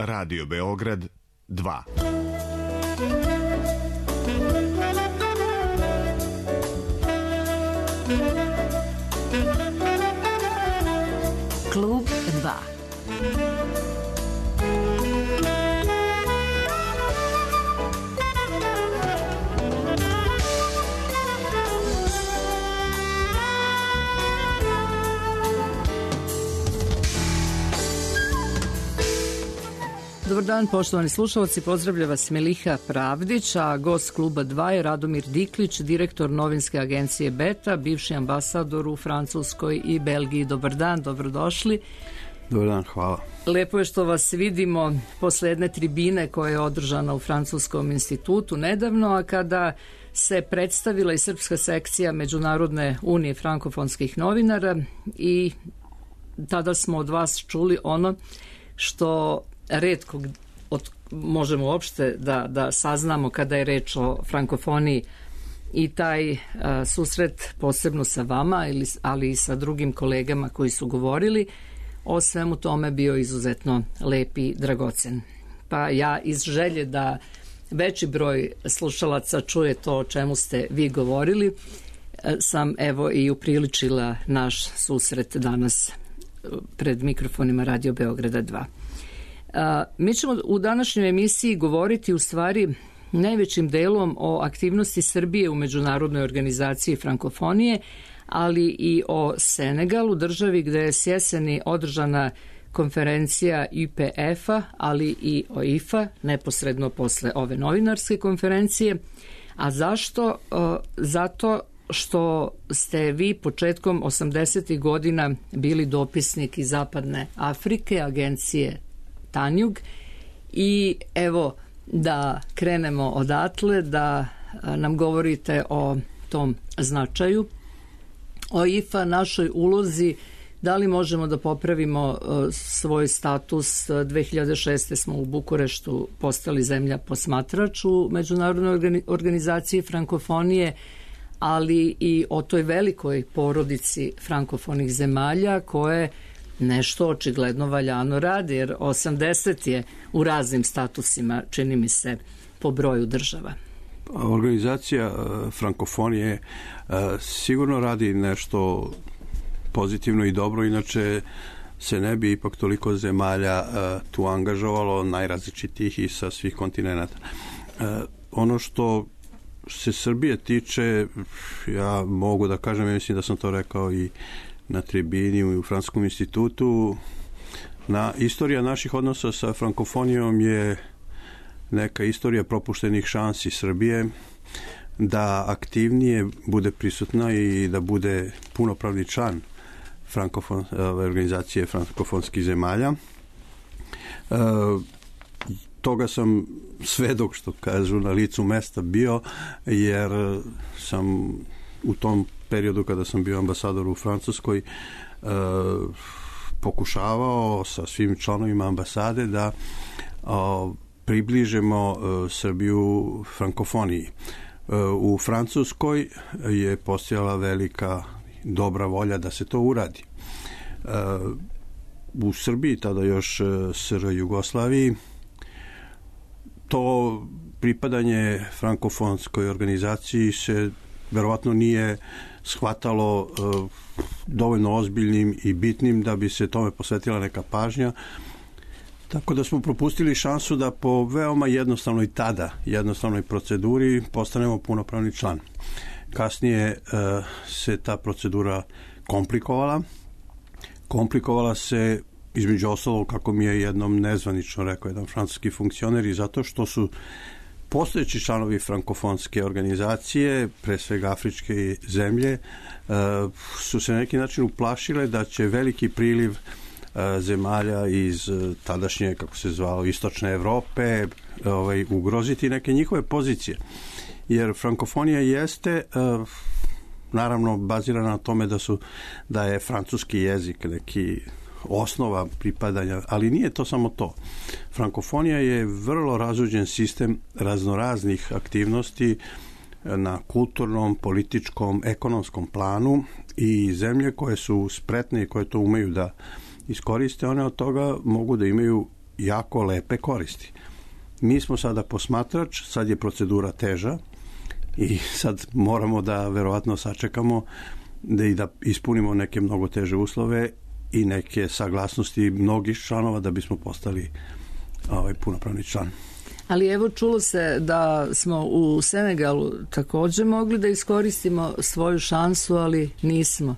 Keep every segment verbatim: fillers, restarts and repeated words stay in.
Radio Beograd dva. Klub dva. Dobar dan, poštovani slušalci, pozdravlja vas Meliha Pravdić, a gost Kluba dva je Radomir Diklić, direktor novinske agencije Beta, bivši ambasador u Francuskoj i Belgiji. Dobar dan, dobrodošli. Dobar dan, hvala. Lepo je što vas vidimo posle jedne tribine koja je održana u Francuskom institutu nedavno, a kada se predstavila i srpska sekcija Međunarodne unije frankofonskih novinara i tada smo od vas čuli ono što retko od, možemo uopšte da, da saznamo kada je reč o frankofoniji i taj a, susret posebno sa vama, ili, ali i sa drugim kolegama koji su govorili o svemu tome bio izuzetno lep i dragocen. Pa ja iz želje da veći broj slušalaca čuje to o čemu ste vi govorili, sam evo i upriličila naš susret danas pred mikrofonima Radio Beograda dva. A, mi ćemo u današnjoj emisiji govoriti u stvari najvećim delom o aktivnosti Srbije u Međunarodnoj organizaciji frankofonije, ali i o Senegalu, državi gde je s jeseni održana konferencija I P F-a, ali i O I F-a, neposredno posle ove novinarske konferencije. A zašto? A, zato što ste vi početkom osamdesetih godina bili dopisnik iz Zapadne Afrike, agencije Tanjug, i evo da krenemo odatle, da nam govorite o tom značaju O I F-a, našoj ulozi, da li možemo da popravimo svoj status. dve hiljade šeste. smo u Bukureštu postali zemlja posmatrač u Međunarodnoj organizaciji frankofonije, ali i o toj velikoj porodici frankofonih zemalja koje nešto očigledno valjano radi, jer osamdeset je u raznim statusima, čini mi se, po broju država. Organizacija frankofonije sigurno radi nešto pozitivno i dobro, inače se ne bi ipak toliko zemalja tu angažovalo, najrazličitijih i sa svih kontinenta. Ono što se Srbije tiče, ja mogu da kažem, ja mislim da sam to rekao i na tribini i u Francuskom institutu, na istorija naših odnosa sa frankofonijom je neka istorija propuštenih šansi Srbije da aktivnije bude prisutna i da bude punopravni član frankofon, organizacije frankofonskih zemalja. E, toga sam svedok, što kažu, na licu mesta bio, jer sam u tom periodu kada sam bio ambasador u Francuskoj e, pokušavao sa svim članovima ambasade da o, približimo e, Srbiju frankofoniji. E, u Francuskoj je postojala velika dobra volja da se to uradi. E, u Srbiji, tada još S R Jugoslaviji, to pripadanje frankofonskoj organizaciji se verovatno nije shvatalo uh, dovoljno ozbiljnim i bitnim da bi se tome posvetila neka pažnja, tako da smo propustili šansu da po veoma jednostavnoj tada, jednostavnoj proceduri postanemo punopravni član. Kasnije uh, se ta procedura komplikovala. Komplikovala se između ostalog, kako mi je jednom nezvanično rekao jedan francuski funkcioner, i zato što su postojeći članovi frankofonske organizacije, pre svega afričke zemlje, su se na neki način uplašile da će veliki priliv zemalja iz tadašnje, kako se zvalo, istočne Evrope, ovaj, ugroziti neke njihove pozicije. Jer frankofonija jeste naravno bazirana na tome da su da je francuski jezik neki osnova pripadanja, ali nije to samo to. Frankofonija je vrlo razuđen sistem raznoraznih aktivnosti na kulturnom, političkom, ekonomskom planu, i zemlje koje su spretne i koje to umeju da iskoriste, one od toga mogu da imaju jako lepe koristi. Mi smo sada posmatrač, sad je procedura teža i sad moramo da verovatno sačekamo da i da ispunimo neke mnogo teže uslove i neke saglasnosti mnogih članova da bismo postali ovaj punopravni član. Ali evo, čulo se da smo u Senegalu također mogli da iskoristimo svoju šansu, ali nismo.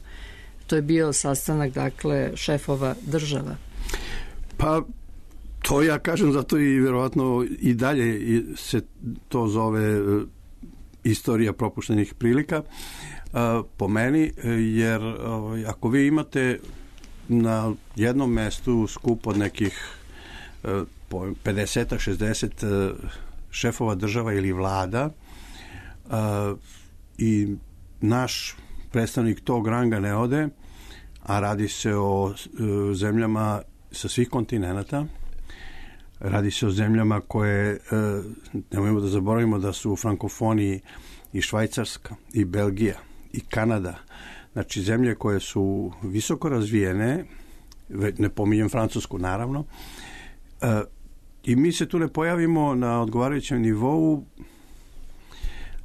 To je bio sastanak, dakle, šefova država. Pa, to ja kažem, zato i verovatno i dalje se to zove istorija propuštenih prilika po meni, jer ako vi imate na jednom mestu skup od nekih pedeset šezdeset šefova država ili vlada i naš predstavnik tog ranga ne ode, a radi se o zemljama sa svih kontinenata, radi se o zemljama koje, nemojmo da zaboravimo da su u frankofoniji i Švajcarska, i Belgija, i Kanada, znači zemlje koje su visoko razvijene, ne pominjem Francusku naravno, i mi se tu ne pojavimo na odgovarajućem nivou,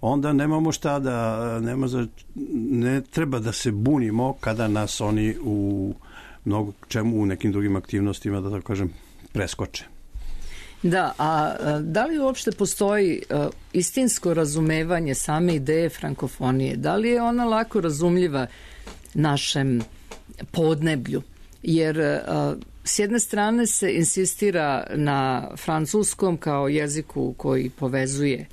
onda nemamo šta da, nema za, ne treba da se bunimo kada nas oni u mnogo čemu, u nekim drugim aktivnostima, da tako kažem, preskoče. Da, a da li uopšte postoji istinsko razumevanje same ideje frankofonije? Da li je ona lako razumljiva našem podneblju? Jer s jedne strane se insistira na francuskom kao jeziku koji povezuje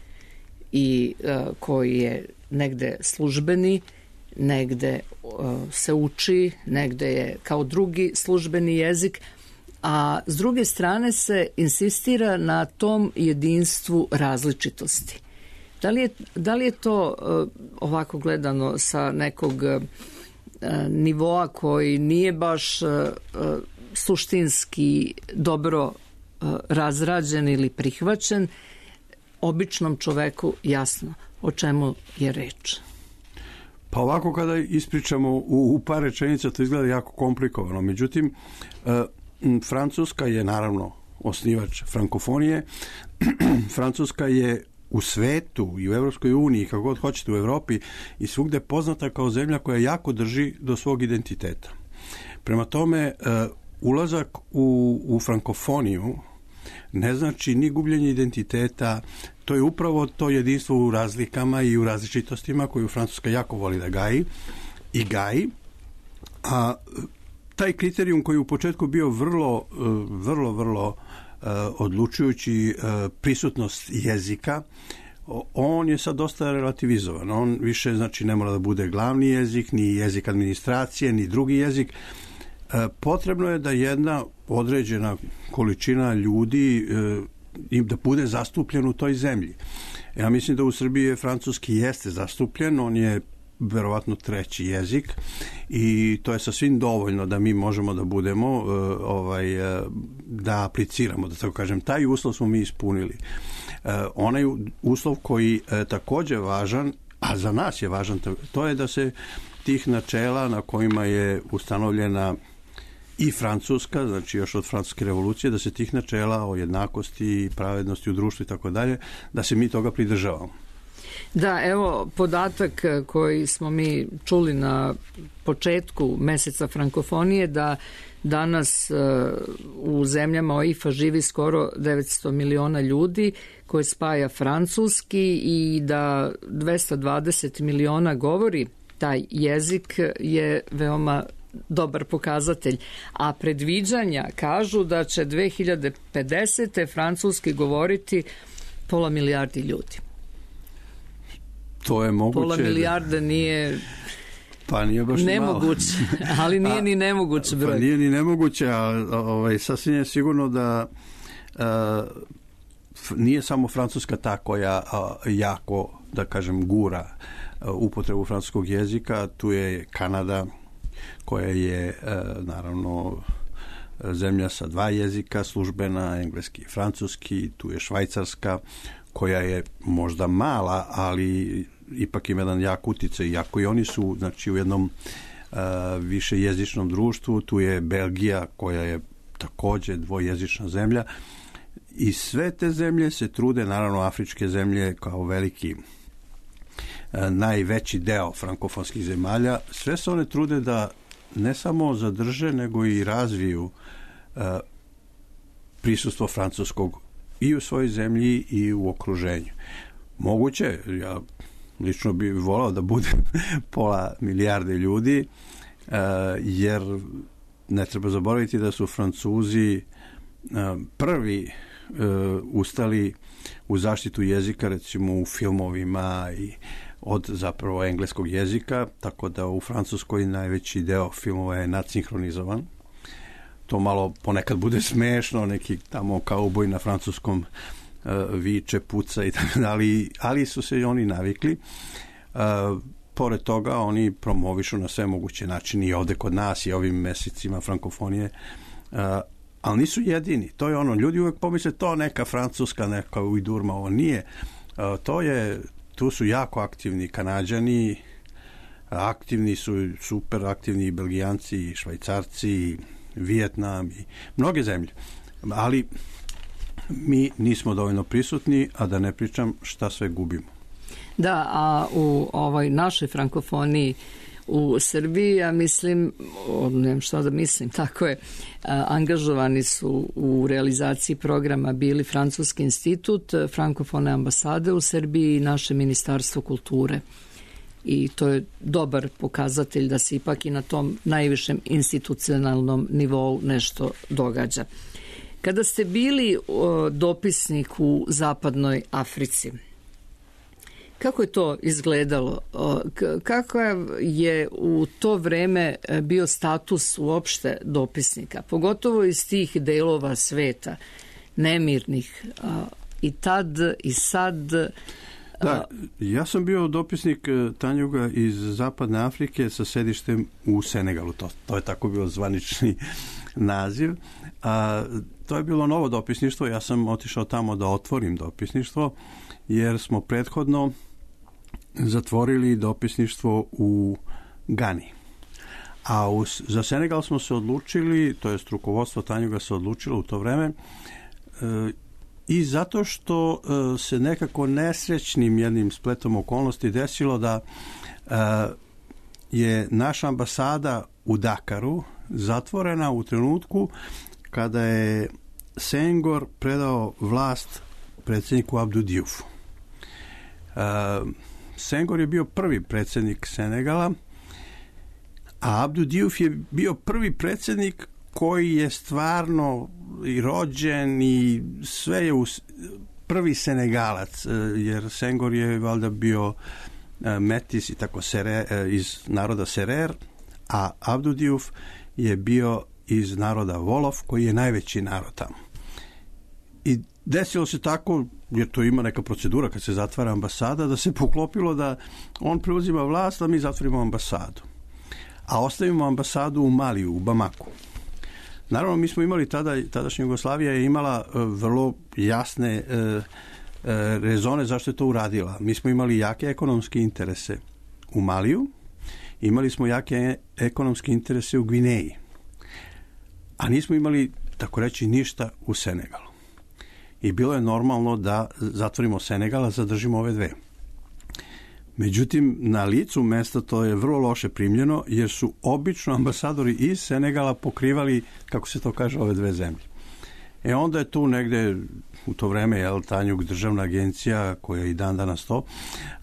i koji je negde službeni, negde se uči, negde je kao drugi službeni jezik, a s druge strane se insistira na tom jedinstvu različitosti. Da li je, da li je to ovako gledano sa nekog nivoa koji nije baš suštinski dobro razrađen ili prihvaćen, običnom čoveku jasno o čemu je reč? Pa ovako kada ispričamo u, u par rečenica to izgleda jako komplikovano. Međutim, Francuska je naravno osnivač frankofonije. Francuska je u svetu i u Evropskoj uniji, kako god hoćete u Evropi i svugde poznata kao zemlja koja jako drži do svog identiteta. Prema tome, ulazak u, u frankofoniju ne znači ni gubljenje identiteta, to je upravo to jedinstvo u razlikama i u različitostima koju Francuska jako voli da gaji i gaji, a taj kriterijum koji je u početku bio vrlo, vrlo, vrlo uh, odlučujući uh, prisutnost jezika, on je sad dosta relativizovan. On više, znači, ne mora da bude glavni jezik, ni jezik administracije, ni drugi jezik. Uh, potrebno je da jedna određena količina ljudi uh, im da bude zastupljen u toj zemlji. Ja mislim da u Srbiji je francuski jeste zastupljen, on je verovatno treći jezik i to je sasvim dovoljno da mi možemo da budemo ovaj, da apliciramo, da tako kažem. Taj uslov smo mi ispunili. Onaj uslov koji je također važan, a za nas je važan, to je da se tih načela na kojima je ustanovljena i Francuska, znači još od Francuske revolucije, da se tih načela o jednakosti, pravednosti u društvu i tako dalje, da se mi toga pridržavamo. Da, evo podatak koji smo mi čuli na početku meseca frankofonije, da danas u zemljama O I F-a živi skoro devetsto miliona ljudi, koje spaja francuski, i da dvesta dvadeset miliona govori taj jezik, je veoma dobar pokazatelj. A predviđanja kažu da će dve hiljade pedesete francuski govoriti pola milijardi ljudi. To je moguće. Pola milijarda nije, pa nije baš nemoguće, ali nije a, ni nemoguće broj. Pa nije ni nemoguće, a ovaj, sasvim je sigurno da a, nije samo Francuska ta koja a, jako, da kažem, gura a, upotrebu francuskog jezika. Tu je Kanada, koja je a, naravno zemlja sa dva jezika službena, engleski i francuski. Tu je Švajcarska, koja je možda mala, ali ipak ima jedan jak uticaj, iako i oni su, znači, u jednom uh, više jezičnom društvu. Tu je Belgija, koja je takođe dvojezična zemlja. I sve te zemlje se trude, naravno afričke zemlje kao veliki najveći deo frankofonskih zemalja, sve se one trude da ne samo zadrže, nego i razviju uh, prisustvo francuskog i u svojoj zemlji i u okruženju. Moguće, ja lično bih volao da bude pola milijarde ljudi, uh, jer ne treba zaboraviti da su Francuzi uh, prvi uh, ustali u zaštitu jezika, recimo u filmovima i od zapravo engleskog jezika, tako da u Francuskoj najveći deo filmova je nadsinhronizovan. To malo ponekad bude smešno, neki tamo kauboj na francuskom uh, viče, puca i tako dalje, ali su se i oni navikli. Uh, pored toga oni promovišu na sve moguće načine i ovde kod nas i ovim mesecima frankofonije, uh, ali nisu jedini. To je ono, ljudi uvek pomisle to neka francuska, neka ujdurma, ovo nije. Uh, to je Tu su jako aktivni Kanađani, aktivni su, super aktivni i Belgijanci, i Švajcarci, i Vijetnam, i mnoge zemlje. Ali mi nismo dovoljno prisutni, a da ne pričam šta sve gubimo. Da, a u ovoj našoj frankofoniji u Srbiji, ja mislim, nemam šta da mislim, tako je, angažovani su u realizaciji programa bili Francuski institut, frankofone ambasade u Srbiji i naše Ministarstvo kulture. I to je dobar pokazatelj da se ipak i na tom najvišem institucionalnom nivou nešto događa. Kada ste bili o, dopisnik u Zapadnoj Africi, kako je to izgledalo? Kako je u to vreme bio status uopšte dopisnika? Pogotovo iz tih delova sveta, nemirnih, i tad i sad. Da, ja sam bio dopisnik Tanjuga iz Zapadne Afrike sa sedištem u Senegalu. To, to je tako bio zvanični naziv. A, to je bilo novo dopisništvo. Ja sam otišao tamo da otvorim dopisništvo, jer smo prethodno zatvorili dopisništvo u Gani. A u, za Senegal smo se odlučili, to je rukovodstvo Tanjuga se odlučilo u to vreme, e, i zato što e, se nekako nesrećnim jednim spletom okolnosti desilo da e, je naša ambasada u Dakaru zatvorena u trenutku kada je Senghor predao vlast predsjedniku Abdou Diouf. Uh, Senghor je bio prvi predsjednik Senegala, a Abdou Diouf je bio prvi predsjednik koji je stvarno i rođen i sve je us, prvi Senegalac, jer Senghor je valjda bio metis i tako sere, iz naroda Serer, a Abdou Diouf je bio iz naroda Wolof, koji je najveći narod tamo. I desilo se tako, jer to ima neka procedura kad se zatvara ambasada, da se poklopilo da on preuzima vlast, a mi zatvorimo ambasadu. A ostavimo ambasadu u Maliju, u Bamaku. Naravno, mi smo imali tada, tadašnja Jugoslavija je imala uh, vrlo jasne uh, uh, rezone zašto je to uradila. Mi smo imali jake ekonomske interese u Maliju, imali smo jake ekonomske interese u Gvineji, a nismo imali, tako reći, ništa u Senegalu. I bilo je normalno da zatvorimo Senegal, a zadržimo ove dve. Međutim, na licu mesta to je vrlo loše primljeno, jer su obično ambasadori iz Senegala pokrivali, kako se to kaže, ove dve zemlje. E onda je tu negde u to vreme, jel, Tanjug, državna agencija, koja je i dan danas to,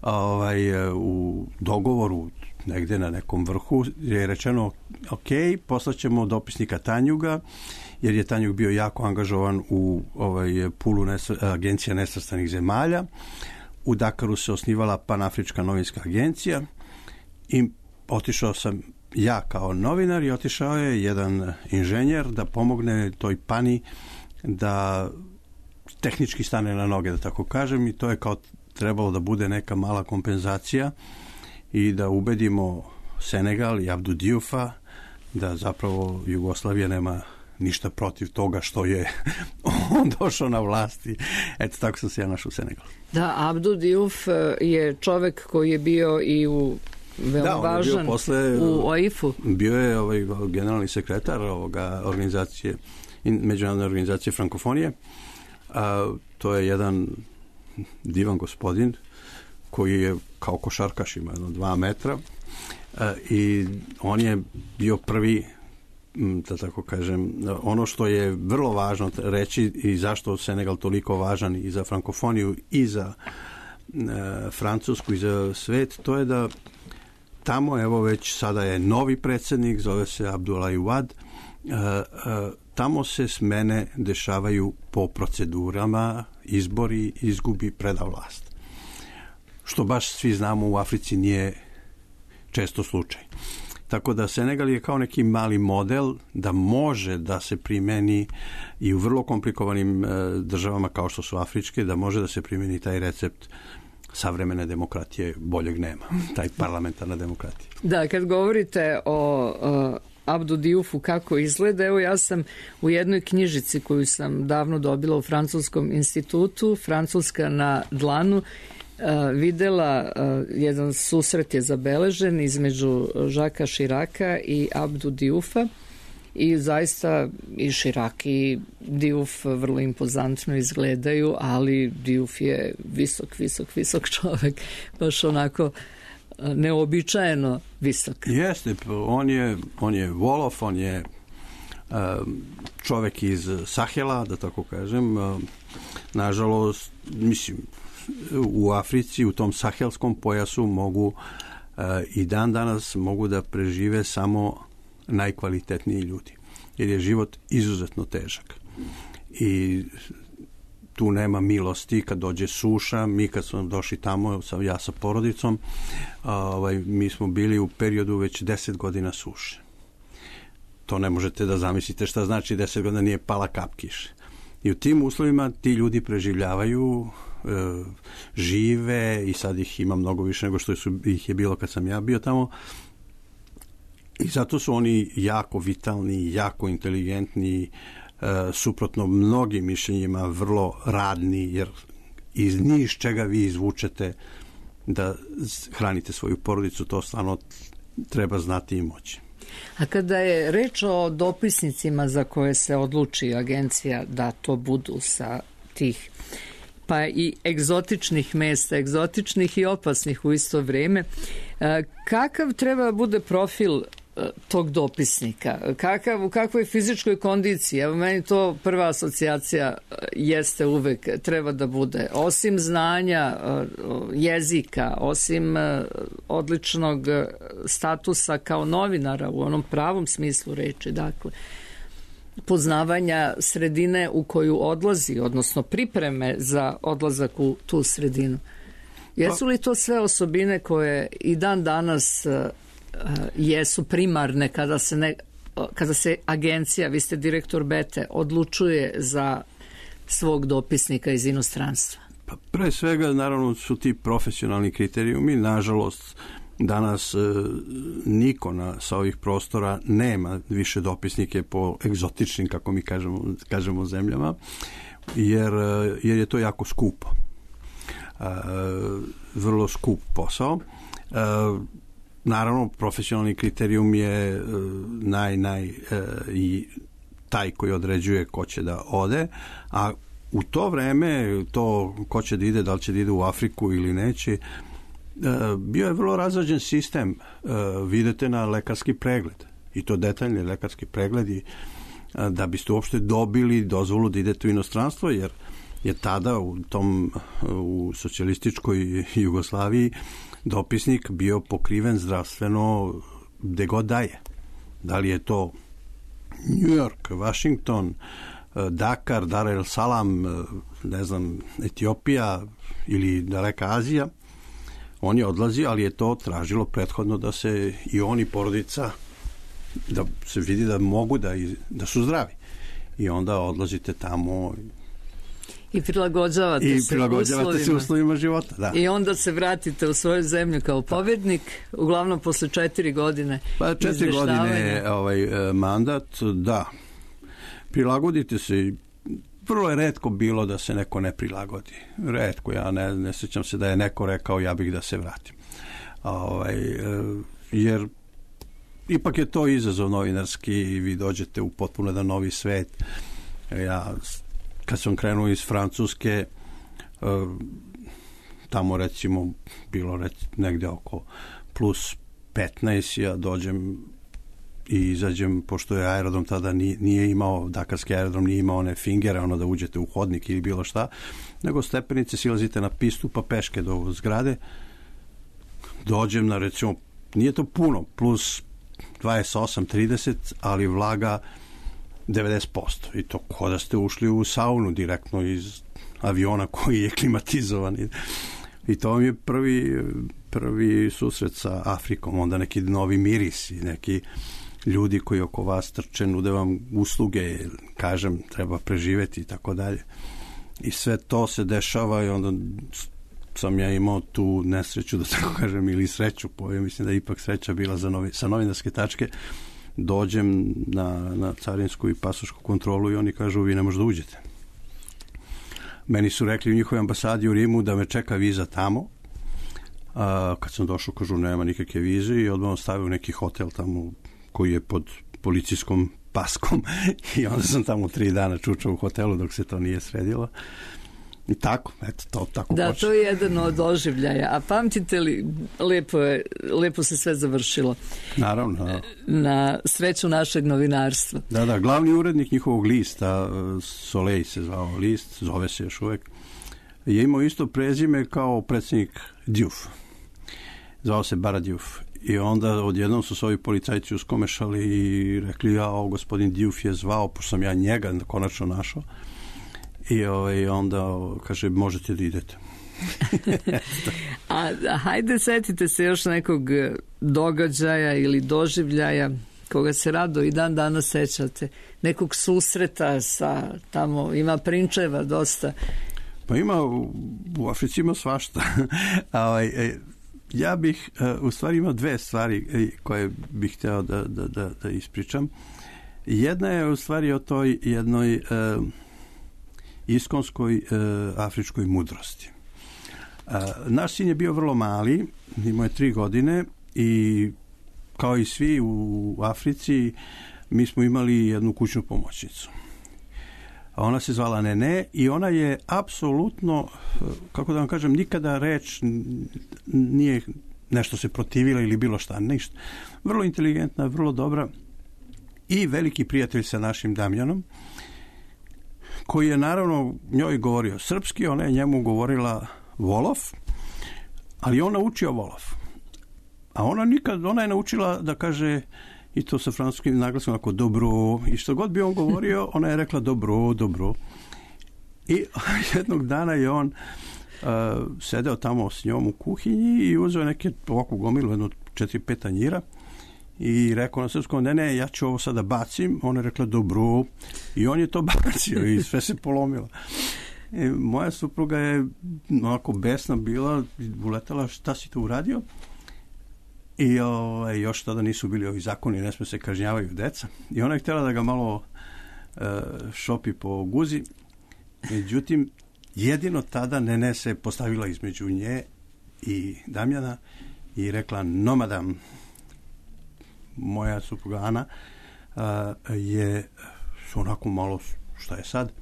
ovaj, u dogovoru negde na nekom vrhu je rečeno, ok, poslaćemo dopisnika Tanjuga, jer je Tanjug bio jako angažovan u ovaj pulu nesr, agencija nesvrstanih zemalja. U Dakaru se osnivala Panafrička novinska agencija i otišao sam ja kao novinar i otišao je jedan inženjer da pomogne toj Pani da tehnički stane na noge, da tako kažem, i to je kao trebalo da bude neka mala kompenzacija i da ubedimo Senegal i Abdou Dioufa da zapravo Jugoslavija nema ništa protiv toga što je on došao na vlasti. Eto, tako sam se ja našao u Senegalu. Da, Abdou Diouf je čovek koji je bio i u veoma da, važan bio posle, u O I F-u. Bio je ovaj generalni sekretar ovoga organizacije Međunarodne organizacije frankofonije. A, to je jedan divan gospodin koji je kao košarkaš, ima jedno dva metra, a, i on je bio prvi, da tako kažem, ono što je vrlo važno reći i zašto Senegal toliko važan i za frankofoniju i za e, Francusku i za svet, to je da tamo, evo već sada je novi predsjednik, zove se Abdoulaye Wade, e, e, tamo se smene dešavaju po procedurama, izbori, izgubi, preda vlast. Što baš svi znamo u Africi nije često slučaj. Tako da Senegal je kao neki mali model da može da se primeni i u vrlo komplikovanim e, državama kao što su afričke, da može da se primeni taj recept savremene demokratije, boljeg nema, taj parlamentarna demokratija. Da, kad govorite o, o Abdu Diouf kako izgleda, evo ja sam u jednoj knjižici koju sam davno dobila u Francuskom institutu, Francuska na dlanu, Uh, videla, uh, jedan susret je zabeležen između Žaka Širaka i Abdu Dioufa i zaista i Širak i Diouf vrlo impozantno izgledaju, ali Diouf je visok, visok, visok čovek, baš onako uh, neobičajeno visok. Jeste, on je, on je Wolof, on je uh, čovek iz Sahela, da tako kažem, uh, nažalost, mislim, u Africi, u tom sahelskom pojasu mogu uh, i dan danas mogu da prežive samo najkvalitetniji ljudi. Jer je život izuzetno težak. I tu nema milosti kad dođe suša. Mi kad smo došli tamo, ja sa porodicom, ovaj, mi smo bili u periodu već deset godina suše. To ne možete da zamislite šta znači deset godina nije pala kap kiše. I u tim uslovima ti ljudi preživljavaju, žive i sad ih ima mnogo više nego što su, ih je bilo kad sam ja bio tamo i zato su oni jako vitalni, jako inteligentni, suprotno mnogim mišljenjima vrlo radni, jer iz niš čega vi izvučete da hranite svoju porodicu, to stvarno treba znati i moći. A kada je reč o dopisnicima za koje se odluči agencija da to budu sa tih pa i egzotičnih mesta, egzotičnih i opasnih u isto vrijeme, kakav treba bude profil tog dopisnika? Kakav, u kakvoj fizičkoj kondiciji? Evo meni to prva asocijacija jeste uvek treba da bude. Osim znanja jezika, osim odličnog statusa kao novinara u onom pravom smislu reči, dakle, poznavanja sredine u koju odlazi, odnosno pripreme za odlazak u tu sredinu. Jesu li to sve osobine koje i dan danas uh, jesu primarne kada se, ne, kada se agencija, vi ste direktor Bete, odlučuje za svog dopisnika iz inostranstva? Pa pre svega, naravno, su ti profesionalni kriterijumi. Nažalost, danas e, niko na, sa ovih prostora nema više dopisnike po egzotičnim, kako mi kažemo, kažemo zemljama, jer, jer je to jako skupo. E, vrlo skup posao. E, naravno, profesionalni kriterijum je e, naj, naj, e, i taj koji određuje ko će da ode, a u to vreme, to ko će da ide, da li će da ide u Afriku ili neće, bio je vrlo razrađen sistem. Vidite na lekarski pregled, i to detaljni lekarski pregledi, da biste uopšte dobili dozvolu da idete u inostranstvo, jer je tada u tom u socijalističkoj Jugoslaviji dopisnik bio pokriven zdravstveno gde god daje. Da li je to New York, Washington, Dakar, Dar el Salam, ne znam, Etiopija ili daleka Azija, on je odlazi, ali je to tražilo prethodno da se i oni porodica, da se vidi da mogu da, da su zdravi. I onda odlazite tamo i prilagođavate, i se, prilagođavate uslovima. se uslovima života. Da. I onda se vratite u svoju zemlju kao pobjednik, uglavnom posle četiri godine pa četiri godine ovaj, mandat, da. Prilagodite se. Vrlo je retko bilo da se neko ne prilagodi. Retko, ja ne, ne sjećam se da je neko rekao ja bih da se vratim. Ovaj, jer ipak je to izazov novinarski i vi dođete u potpuno jedan novi svet Ja, kad sam krenuo iz Francuske, tamo recimo bilo rec, negde oko plus petnaest, ja dođem i izađem, pošto je aerodrom tada nije, nije imao, dakarski aerodrom nije imao one fingere, ono da uđete u hodnik ili bilo šta, nego stepenice, silazite na pistu pa peške do zgrade. Dođem na recimo, nije to puno, plus dvadeset osam trideset, ali vlaga devedeset posto. I to kao da ste ušli u saunu direktno iz aviona koji je klimatizovan. I to mi je prvi, prvi susret sa Afrikom, onda neki novi mirisi, neki ljudi koji oko vas trče, nude vam usluge, kažem, treba preživeti i tako dalje. I sve to se dešava i onda sam ja imao tu nesreću, da tako kažem, ili sreću, povijek, mislim da je ipak sreća bila za novi, sa novinarske tačke. Dođem na, na carinsku i pasošku kontrolu i oni kažu, vi ne možete da uđete. Meni su rekli u njihovoj ambasadi u Rimu da me čeka viza tamo. A, kad sam došao, kažu, nema nikakve vize i odmah stavio neki hotel tamo koji je pod policijskom paskom i onda sam tamo tri dana čučao u hotelu dok se to nije sredilo. I tako, eto, to tako da, počne. To je jedan od doživljaja. A pamtite li, lepo, je, lepo se sve završilo. Naravno. Da. Na sreću našeg novinarstva. Da, da, glavni urednik njihovog lista, Soleil se zvao list, zove se još uvek, je imao isto prezime kao predsjednik Diouf. Zvao se Bara Diouf. I onda odjednom su se ovi policajci uskomešali i rekli, ja, o, gospodin Diouf je zvao, pošto sam ja njega konačno našao. I ovaj, onda kaže, možete da idete. a, a hajde, setite se još nekog događaja ili doživljaja koga se rado i dan danas sećate. Nekog susreta sa tamo, ima prinčeva dosta. Pa ima, u, u Africi ima svašta. a, ja bih, u stvari imao dve stvari koje bih hteo da, da, da, da ispričam. Jedna je u stvari o toj jednoj iskonskoj e, afričkoj mudrosti. E, naš sin je bio vrlo mali, imao je tri godine i kao i svi u Africi mi smo imali jednu kućnu pomoćnicu. Ona se zvala Nene i ona je apsolutno, kako da vam kažem, nikada reč nije nešto se protivila ili bilo šta, ništa. Vrlo inteligentna, vrlo dobra i veliki prijatelj sa našim Damjanom, koji je naravno njoj govorio srpski, ona je njemu govorila Wolof, ali on naučio Wolof. A ona nikad, ona je naučila da kaže, i to sa francuskim naglasom, ako dobro, i što god bi on govorio, ona je rekla dobro, dobro. I jednog dana je on uh, sedeo tamo s njom u kuhinji i uzeo neke ovakvu gomilu, jedno četiri, pet tanjira i rekao na srpskom, ne, ne, ja ću ovo sada bacim. Ona je rekla dobro i on je to bacio i sve se polomilo. I moja supruga je onako besna bila, uletala, šta si to uradio? I o, još tada nisu bili ovi zakoni, ne sme se kažnjavaju deca. I ona je htjela da ga malo e, šopi po guzi. Međutim, jedino tada Nene se postavila između nje i Damjana i rekla, no madam, moja supruga Ana a, je onako malo, šta je sad?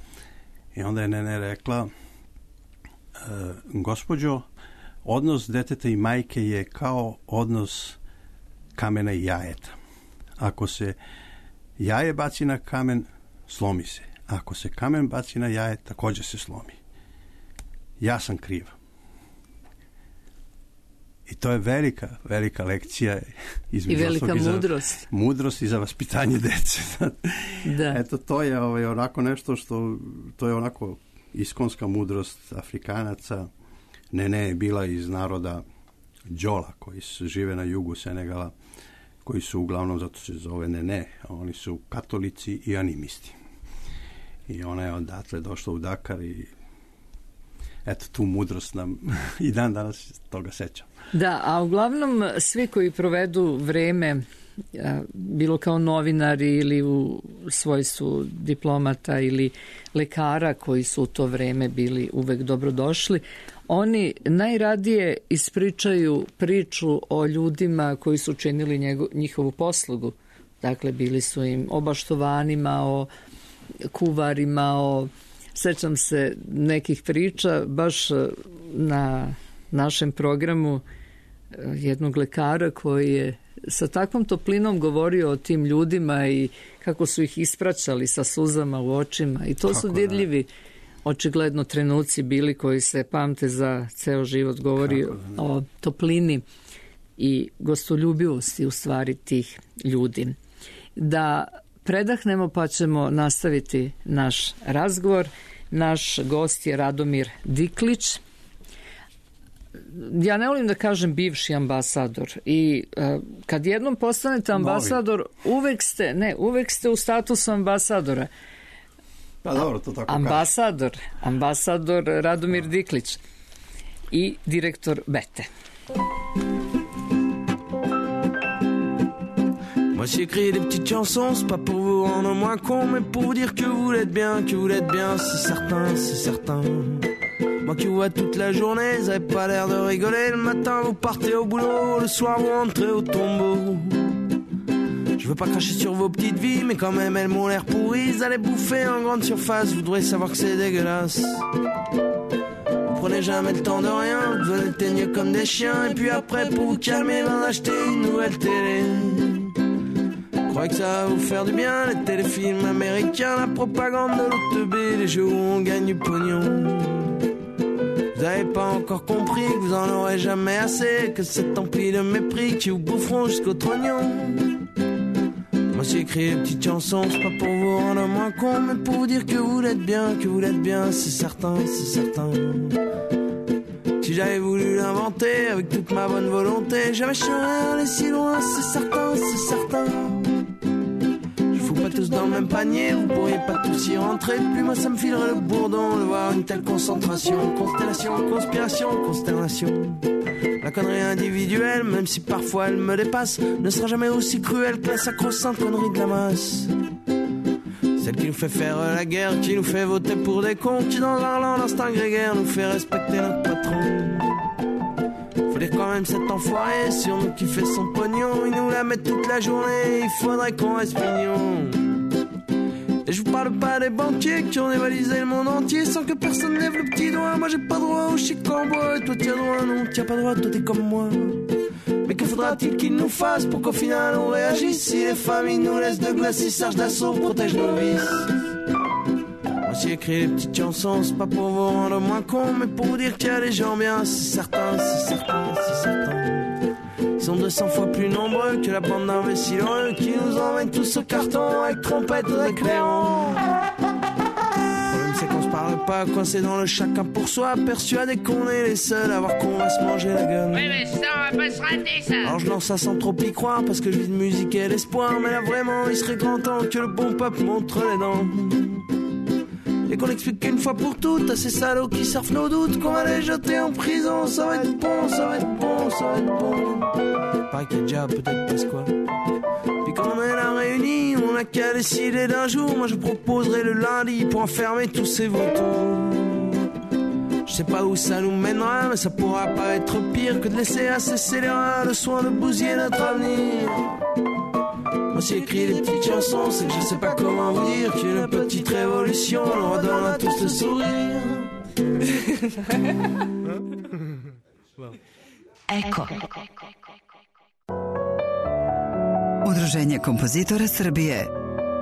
I onda je Nene rekla, a, gospođo, odnos deteta i majke je kao odnos kamena i jajeta. Ako se jaje baci na kamen, slomi se. Ako se kamen baci na jaje, također se slomi. Ja sam kriv. I to je velika, velika lekcija. I velika mudrost. Mudrost i za vaspitanje dece. Da. Eto, to je ovaj, onako nešto što, to je onako iskonska mudrost Afrikanaca. Nene je bila iz naroda Djola, koji su, žive na jugu Senegala, koji su uglavnom, zato se zove Nene, oni su katolici i animisti. I ona je odatle došla u Dakar i eto, tu mudrost nam i dan danas toga sećam. Da, a uglavnom svi koji provedu vreme, bilo kao novinari ili u svojstvu diplomata ili lekara koji su u to vreme bili uvek dobrodošli, oni najradije ispričaju priču o ljudima koji su činili njego, njihovu poslugu. Dakle, bili su im obaštovanima, o kuvarima, o, sećam se nekih priča baš na našem programu jednog lekara koji je sa takvom toplinom govorio o tim ljudima i kako su ih ispraćali sa suzama u očima i to kako su dirljivi ne? Očigledno trenuci bili koji se pamte za ceo život. Govori o toplini i gostoljubivosti u stvari tih ljudi. Da predahnemo pa ćemo nastaviti naš razgovor. Naš gost je Radomir Diklić. Ja ne volim da kažem bivši ambasador i uh, kad jednom postanete ambasador Novi. uvek ste, ne, uvek ste u statusu ambasadora. Pa dobro, to tako ambasador, kaže. ambasador Radomir Diklić i direktor Bete. Moi j'ai écrit des petites chansons, c'est pas pour vous rendre moins con, mais pour vous dire que vous l'êtes bien, que vous l'êtes bien, c'est certain, c'est certain. Moi qui vous vois toute la journée, vous avez pas l'air de rigoler. Le matin vous partez au boulot, le soir vous rentrez au tombeau. Je veux pas cracher sur vos petites vies, mais quand même elles m'ont l'air pourries. Vous allez bouffer en grande surface, vous devrez savoir que c'est dégueulasse. Vous prenez jamais le temps de rien, vous devenez teigneux comme des chiens. Et puis après pour vous calmer, ben acheter une nouvelle télé. Je crois que ça va vous faire du bien, les téléfilms américains, la propagande de l'O T B, les jeux où on gagne du pognon. Vous avez pas encore compris que vous en aurez jamais assez, que c'est empli de mépris qui vous boufferont jusqu'au trognon. Moi j'ai écrit des petites chansons, c'est pas pour vous rendre moins con, mais pour vous dire que vous l'êtes bien, que vous l'êtes bien, c'est certain, c'est certain. Si j'avais voulu l'inventer avec toute ma bonne volonté, jamais je serais allé si loin, c'est certain, c'est certain. Pas tous dans le même panier, vous pourriez pas tous y rentrer. Puis moi ça me filerait le bourdon de voir une telle concentration. Constellation, conspiration, consternation. La connerie individuelle, même si parfois elle me dépasse, ne sera jamais aussi cruelle que la sacro-sainte connerie de la masse. Celle qui nous fait faire la guerre, qui nous fait voter pour des cons, qui dans un land d'instinct grégaire nous fait respecter notre patron. Faut dire quand même cet enfoiré sur nous qui fait son pognon, il nous la met toute la journée, il faudrait qu'on reste mignon. Et je vous parle pas des banquiers qui ont dévalisé le monde entier sans que personne lève le petit doigt. Moi j'ai pas droit au chic en bois, et toi t'as droit, non t'as pas droit, toi t'es comme moi. Mais que faudra-t-il qu'ils nous fassent pour qu'au final on réagisse? Si les familles nous laissent de glace, si Serge Dassault protège nos vices. Moi j'ai écrit des petites chansons, c'est pas pour vous rendre moins con, mais pour vous dire qu'il y a des gens bien, c'est certain, c'est certain, c'est certain. Ils sont deux cents fois plus nombreux que la bande d'imbéciles heureux qui nous emmènent tous au carton avec trompette et clairon. Le problème c'est qu'on se parle pas, coincés dans le chacun pour soi, persuadés qu'on est les seuls à voir qu'on va se manger la gueule. Oui mais ça on va pas se rater ça. Alors je lance ça sans trop y croire parce que je vis de musique et l'espoir, mais là vraiment il serait grand temps que le bon peuple montre les dents. Et qu'on explique une fois pour toutes à ces salauds qui surfent nos doutes qu'on va les jeter en prison. Ça va être bon, ça va être bon, ça va être bon. Pareil qu'il y a déjà peut-être Pasqua. Puis quand on est là réunis, on n'a qu'à décider d'un jour. Moi je proposerai le lundi pour enfermer tous ces vautours. Je sais pas où ça nous mènera, mais ça pourra pas être pire que de laisser à ces scélérats le soin de bousiller notre avenir. Moi j'ai écrit des petites chansons, c'est que je sais pas comment vous dire qu'une petite révolution nous redonne à tous le sourire. Eko. Udruženje kompozitora Srbije.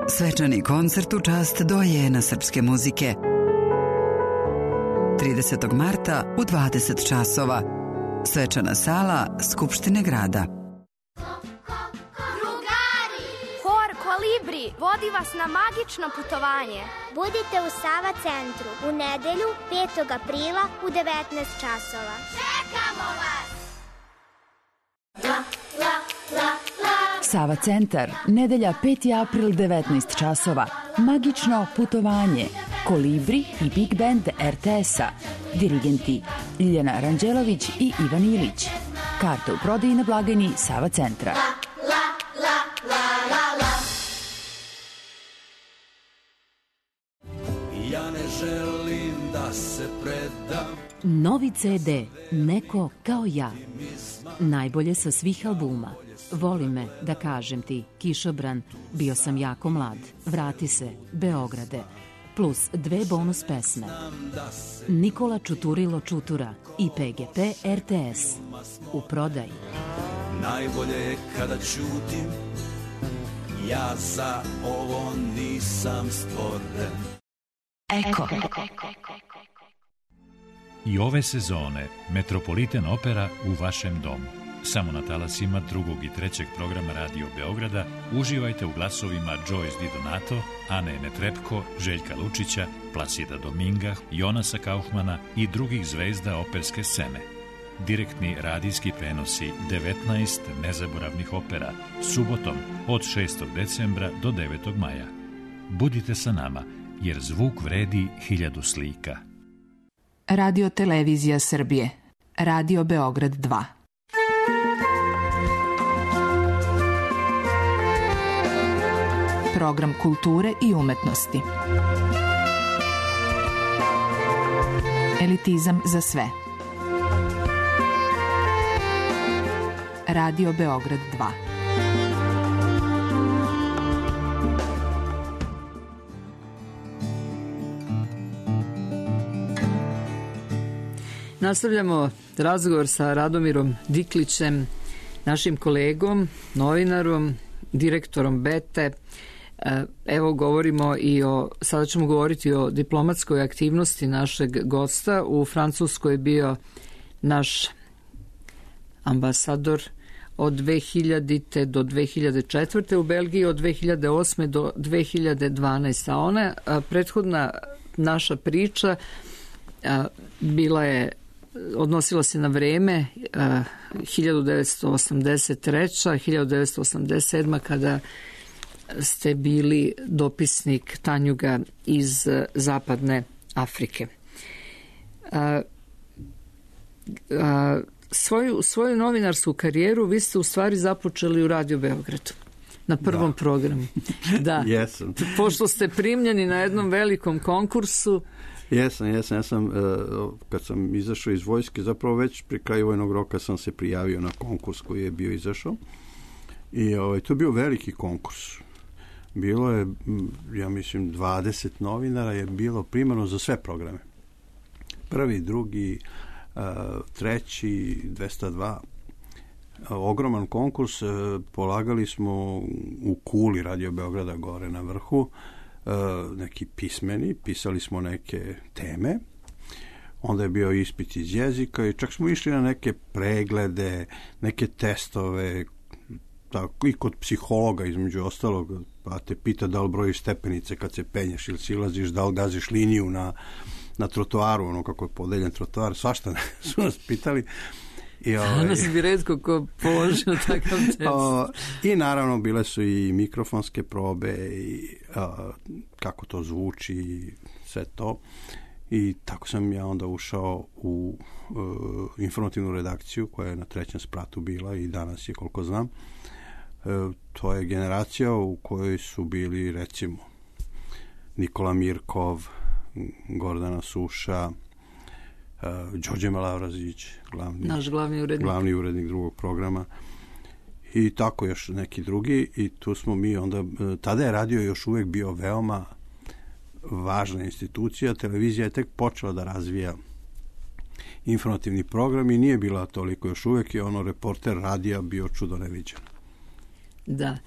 Svečani koncert u čast dojena srpske muzike. tridesetog marta u dvadeset časova. Svečana sala Skupštine grada. Kolibri vodi vas na magično putovanje. Budite u Sava centru u nedelju petog aprila u devetnaest časova. Čekamo vas! La, la, la, la. Sava centar, nedelja peti april devetnaest časova. Magično putovanje. Kolibri i Big Band R T S-a. Dirigenti Ljiljana Ranđelović i Ivan Ilić. Karte u prodaji na blagajni Sava centra. Ja ne želim da se predam. Novi ce de, Neko kao ja. Najbolje sa svih albuma. Voli me, da kažem ti, Kišobran, Bio sam jako mlad, Vrati se, Beograde, plus dve bonus pesme. Nikola Čuturilo Čutura i pe ge pe er te es. U prodaji. Najbolje je kada ćutim, ja za ovo nisam stvoren. Eko. I ove sezone Metropolitan Opera u vašem domu. Samo na talasima drugog i trećeg programa Radio Beograda uživajte u glasovima Joyce Di Donato, Ane Netrebko, Željka Lučića, Plasida Dominga, Jonasa Kaufmana i drugih zvezda operske scene. Direktni radijski prenosi devetnaest nezaboravnih opera subotom od šestog decembra do devetog maja. Budite sa nama, jer zvuk vredi hiljadu slika. Radio Televizija Srbije. Radio Beograd dva. Program kulture i umetnosti. Elitizam za sve. Radio Beograd dva. Nastavljamo razgovor sa Radomirom Diklićem, našim kolegom, novinarom, direktorom Bete. Evo govorimo i o, sada ćemo govoriti o diplomatskoj aktivnosti našeg gosta. U Francuskoj je bio naš ambasador od dve hiljadite do dve hiljade četvrte, u Belgiji od dve hiljade osme do dve hiljade dvanaeste. A ona, a, prethodna naša priča a, bila je, odnosila se na vreme a, hiljadu devetsto osamdeset treća. hiljadu devetsto osamdeset sedma. kada ste bili dopisnik Tanjuga iz Zapadne Afrike. A, a, Svoju, svoju novinarsku karijeru vi ste u stvari započeli u Radio Beogradu, na prvom da. programu. Da. Jesam. Pošto ste primljeni na jednom velikom konkursu. Jesam, jesam. Ja sam, kad sam izašao iz vojske, zapravo već pri kraju vojnog roka sam se prijavio na konkurs koji je bio izašao. I ovaj, to je bio veliki konkurs. Bilo je, ja mislim, dvadeset novinara je bilo primarno za sve programe. Prvi, drugi, Uh, treći, dvesta dva, uh, ogroman konkurs. Uh, polagali smo u kuli Radio Beograda gore na vrhu, uh, neki pismeni, pisali smo neke teme, onda je bio ispit iz jezika i čak smo išli na neke preglede, neke testove, tako, i kod psihologa između ostalog, pa te pita da li brojiš stepenice kad se penješ ili silaziš, da li gaziš liniju na na trotoaru, ono kako je podeljen trotoar, svašta su nas pitali. I, ovaj, danas bi retko ko položio takav test. O, I naravno bile su i mikrofonske probe i a, kako to zvuči i sve to. I tako sam ja onda ušao u uh, informativnu redakciju koja je na trećem spratu bila i danas je, koliko znam. Uh, to je generacija u kojoj su bili recimo Nikola Mirkov, Gordana Suša, uh, Đorđe Malavrazić, glavni, naš glavni urednik. glavni urednik drugog programa i tako još neki drugi i tu smo mi onda, tada je radio još uvek bio veoma važna institucija, televizija je tek počela da razvija informativni program i nije bila toliko još uvek i ono reporter radija bio čudo neviđen. Da.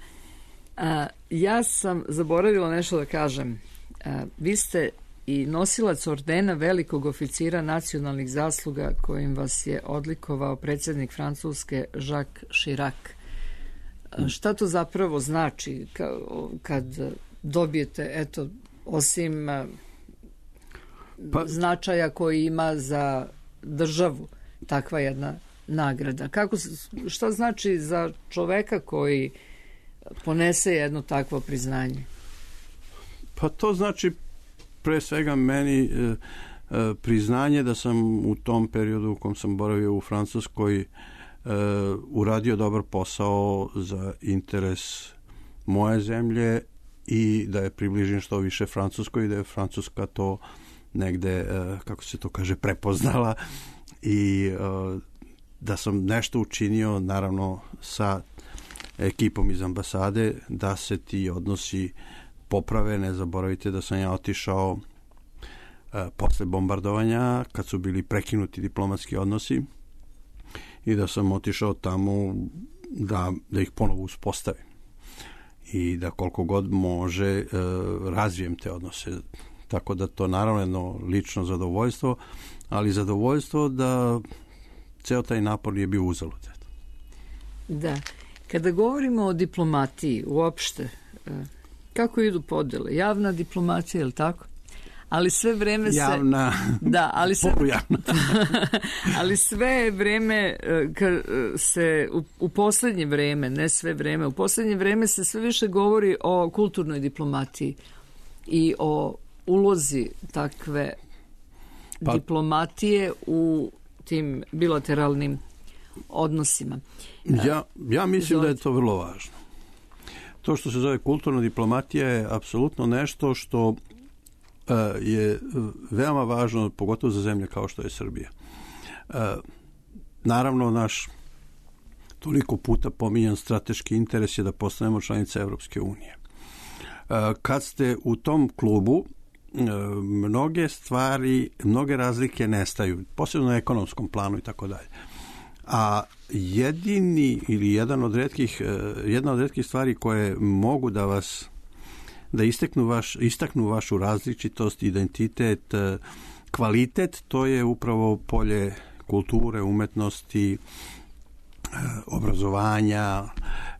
A, ja sam zaboravila nešto da kažem. A, vi ste i nosilac ordena velikog oficira nacionalnih zasluga kojim vas je odlikovao predsjednik Francuske Jacques Chirac. Šta to zapravo znači kad dobijete, eto, osim pa, značaja koji ima za državu takva jedna nagrada? Kako, šta znači za čoveka koji ponese jedno takvo priznanje? Pa to znači pre svega meni e, e, priznanje da sam u tom periodu u kom sam boravio u Francuskoj e, uradio dobar posao za interes moje zemlje i da je približim što više Francuskoj i da je Francuska to negde, kako se to kaže, prepoznala i da sam nešto učinio, naravno, sa ekipom iz ambasade, da se ti odnosi poprave. Ne zaboravite da sam ja otišao posle bombardovanja, kad su bili prekinuti diplomatski odnosi, i da sam otišao tamo da, da ih ponovo uspostavim i da koliko god može e, razvijem te odnose. Tako da to naravno jedno lično zadovoljstvo, ali zadovoljstvo da ceo taj napor nije bio uzalud. Da. Kada govorimo o diplomatiji uopšte, kako idu podele? Javna diplomatija, je li tako? Ali sve vreme se... Javna, da, ali sve, polujavna. ali sve vreme se u, u poslednje vreme, ne sve vreme, u poslednje vreme se sve više govori o kulturnoj diplomatiji i o ulozi takve pa, diplomatije u tim bilateralnim odnosima. Ja, ja mislim da je to vrlo važno. To što se zove kulturna diplomatija je apsolutno nešto što je veoma važno, pogotovo za zemlje kao što je Srbija. Naravno, naš toliko puta pominjan strateški interes je da postanemo članice Evropske unije. Kad ste u tom klubu, mnoge stvari, mnoge razlike nestaju, posebno na ekonomskom planu i tako dalje. A jedini ili jedan od retkih, jedna od retkih stvari koje mogu da vas da istaknu, vaš, istaknu vašu različitost, identitet, kvalitet, to je upravo polje kulture, umetnosti, obrazovanja,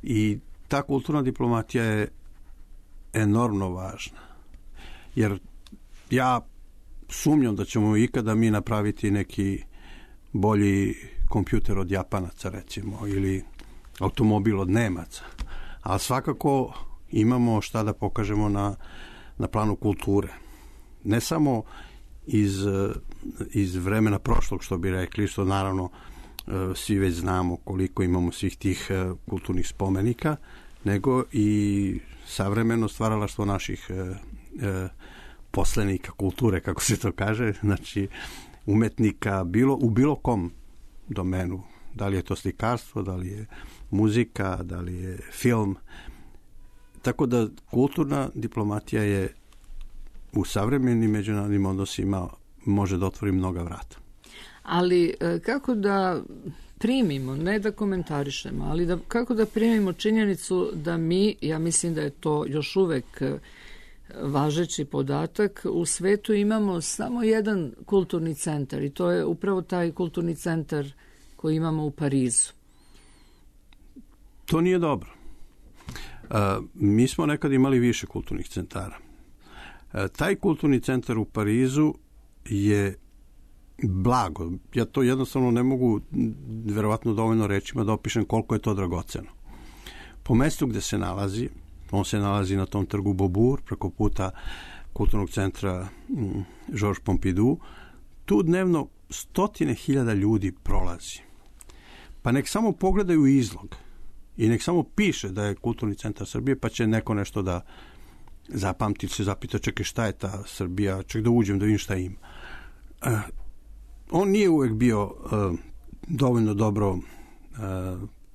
i ta kulturna diplomatija je enormno važna. Jer ja sumnjam da ćemo ikada mi napraviti neki bolji kompjuter od Japanaca, recimo, ili automobil od Nemaca. Ali svakako imamo šta da pokažemo na, na planu kulture. Ne samo iz, iz vremena prošlog, što bi rekli, što naravno svi već znamo koliko imamo svih tih kulturnih spomenika, nego i savremeno stvaralaštvo naših poslenika kulture, kako se to kaže, znači umetnika bilo, u bilo kom domenu. Da li je to slikarstvo, da li je muzika, da li je film. Tako da kulturna diplomatija je u savremenim međunarodnim odnosima može da otvori mnoga vrata. Ali kako da primimo, ne da komentarišemo, ali da, kako da primimo činjenicu da mi, ja mislim da je to još uvek važeći podatak, u svetu imamo samo jedan kulturni centar i to je upravo taj kulturni centar koji imamo u Parizu. To nije dobro. Uh, mi smo nekad imali više kulturnih centara. Uh, taj kulturni centar u Parizu je blago. Ja to jednostavno ne mogu verovatno dovoljno rečima da opišem koliko je to dragoceno. Po mestu gde se nalazi, on se nalazi na tom trgu Beaubourg, preko puta kulturnog centra mm, Georges Pompidou, tu dnevno stotine hiljada ljudi prolazi. Pa nek samo pogledaju izlog i nek samo piše da je kulturni centar Srbije, pa će neko nešto da zapamti, se zapita, čekaj, šta je ta Srbija, ček da uđem da vidim šta ima. Uh, on nije uvek bio uh, dovoljno dobro uh,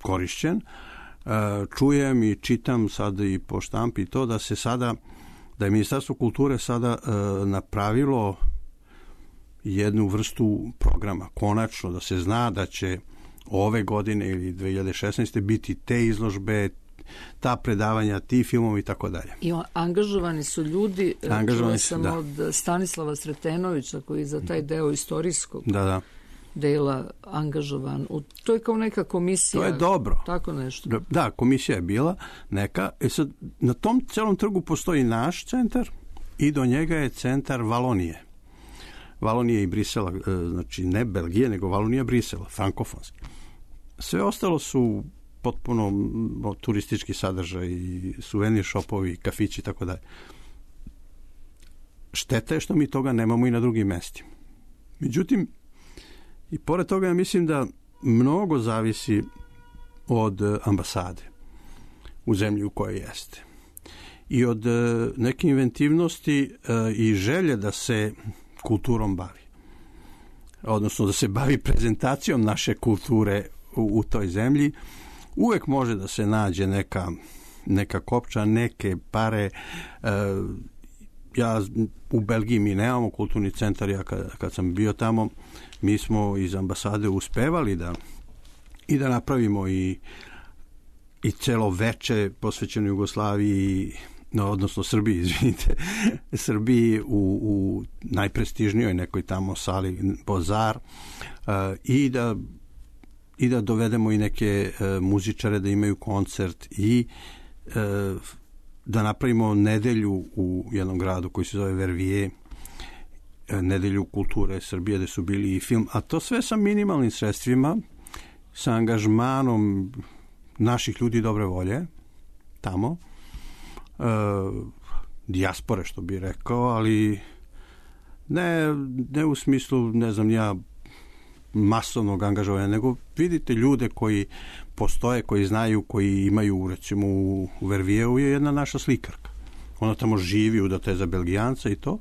korišćen. Uh, čujem i čitam sad i po štampi to da se sada, da je Ministarstvo kulture sada uh, napravilo jednu vrstu programa, konačno, da se zna da će ove godine ili dve hiljade šesnaeste biti te izložbe, ta predavanja, ti filmovi i tako dalje. I angažovani su ljudi, angažovani su, sam da. od Stanislava Sretenovića, koji za taj deo istorijskog da, da. dela angažovan. U, to je kao neka komisija. To je dobro. Tako nešto. Da, komisija je bila neka. E sad, na tom celom trgu postoji naš centar i do njega je centar Valonije. Valonije i Brisela, znači ne Belgije, nego Valonija Brisela, frankofonski. Sve ostalo su potpuno turistički sadržaj, suvenir šopovi, kafići i tako dalje. Šteta je što mi toga nemamo i na drugim mestima. Međutim, i pored toga ja mislim da mnogo zavisi od ambasade u zemlji u kojoj jeste. I od neke inventivnosti i želje da se kulturom bavi. Odnosno da se bavi prezentacijom naše kulture u, u toj zemlji. Uvek može da se nađe neka, neka kopča, neke pare. E, ja u Belgiji mi nemamo kulturni centar, ja kad, kad sam bio tamo, mi smo iz ambasade uspevali da i da napravimo i, i celo veče posvećeno Jugoslaviji, no, odnosno Srbiji, izvinite, Srbiji u, u najprestižnijoj nekoj tamo sali Bozar, uh, i da i da dovedemo i neke uh, muzičare da imaju koncert i uh, da napravimo nedelju u jednom gradu koji se zove Verviers, uh, nedelju kulture Srbije, gde su bili i film, a to sve sa minimalnim sredstvima, sa angažmanom naših ljudi dobre volje tamo, Uh, dijaspore, što bi rekao, ali ne, ne u smislu, ne znam ja, masovnog angažovanja, nego vidite ljude koji postoje, koji znaju, koji imaju, recimo u Vervieru je jedna naša slikarka. Ona tamo živi, udata je za Belgijanca i to,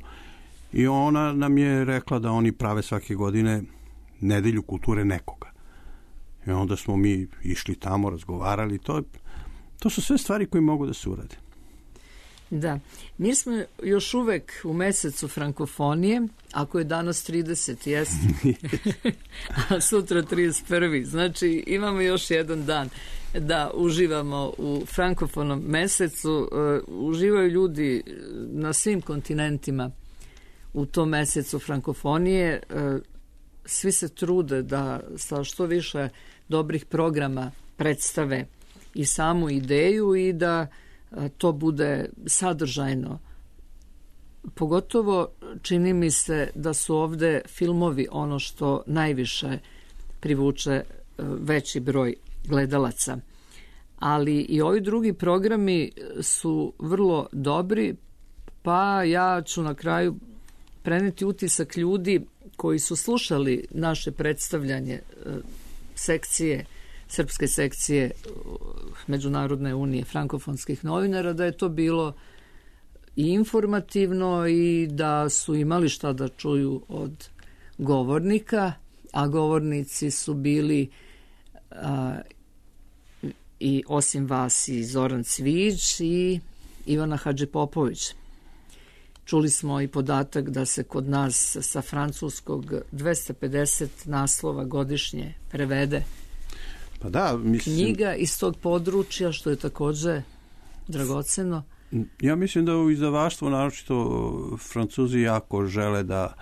i ona nam je rekla da oni prave svake godine nedelju kulture nekoga. I onda smo mi išli tamo, razgovarali, to, to su sve stvari koje mogu da se urade. Da, mi smo još uvek u mesecu frankofonije, ako je danas trideset, jeste, a sutra trideset prvi, znači imamo još jedan dan da uživamo u frankofonom mesecu. Uh, uživaju ljudi na svim kontinentima u tom mesecu frankofonije. Uh, svi se trude da sa što više dobrih programa predstave i samu ideju i da to bude sadržajno. Pogotovo čini mi se da su ovde filmovi ono što najviše privuče veći broj gledalaca. Ali i ovi drugi programi su vrlo dobri, pa ja ću na kraju preneti utisak ljudi koji su slušali naše predstavljanje sekcije, srpske sekcije Međunarodne unije frankofonskih novinara, da je to bilo i informativno i da su imali šta da čuju od govornika, a govornici su bili a, i osim vas i Zoran Cvijić i Ivana Hadžipopović. Čuli smo i podatak da se kod nas sa francuskog dvesta pedeset naslova godišnje prevede. Pa da, mislim, knjiga iz tog područja, što je takođe dragoceno. Ja mislim da u izdavaštvu, naročito Francuzi jako žele da,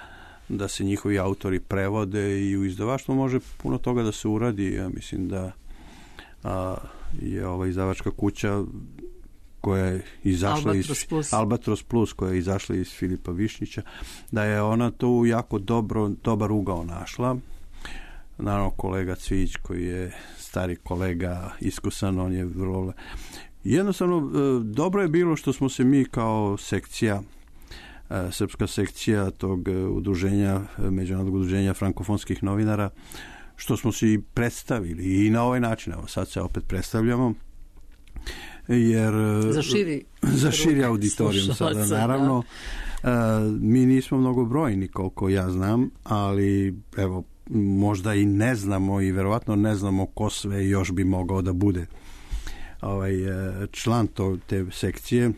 da se njihovi autori prevode i u izdavaštvu može puno toga da se uradi. Ja mislim da a, je ova izdavačka kuća koja je izašla Albatros iz Plus. Albatros Plus, koja je izašla iz Filipa Višnjića, da je ona tu jako dobro, dobar ugao našla. Naravno, kolega Cvijić, koji je stari kolega, iskusan, on je vrlo... Jednostavno, dobro je bilo što smo se mi kao sekcija, srpska sekcija tog udruženja, Međunarodnog udruženja frankofonskih novinara, što smo se i predstavili i na ovaj način, evo sad se opet predstavljamo, jer... Za širi... za širi auditorijum sada, naravno. Da. Mi nismo mnogo brojni, koliko ja znam, ali evo, možda i ne znamo i verovatno ne znamo ko sve još bi mogao da bude ovaj član to, te sekcije.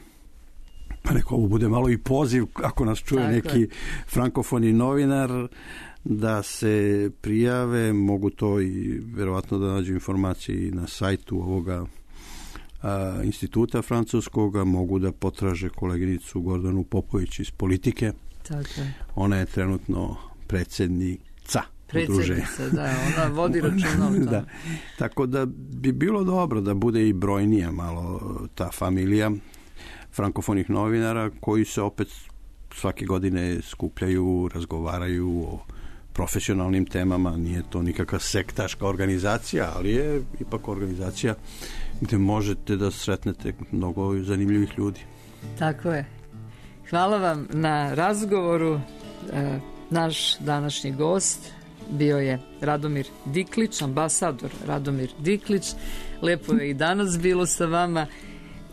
Pa neko ovo bude malo i poziv, ako nas čuje tako neki je. Frankofoni novinar, da se prijave, mogu to i verovatno da nađu informacije na sajtu ovoga a, instituta francuskoga, mogu da potraže koleginicu Gordanu Popović iz Politike. Tako je. Ona je trenutno predsednica Predsednica, da, ona vodi računa o tome. Da. Tako da bi bilo dobro da bude i brojnija malo ta familija frankofonih novinara koji se opet svake godine skupljaju, razgovaraju o profesionalnim temama. Nije to nikakva sektaška organizacija, ali je ipak organizacija gde možete da sretnete mnogo zanimljivih ljudi. Tako je. Hvala vam na razgovoru. E, naš današnji gost bio je Radomir Diklić, ambasador Radomir Diklić. Lepo je i danas bilo sa vama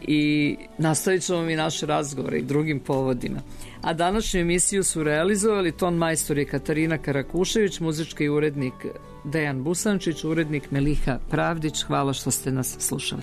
i nastavit ćemo mi naše razgovore i drugim povodima. A današnju emisiju su realizovali ton majstor je Katarina Karakušević, muzički urednik Dejan Busančić, urednik Meliha Pravdić. Hvala što ste nas slušali.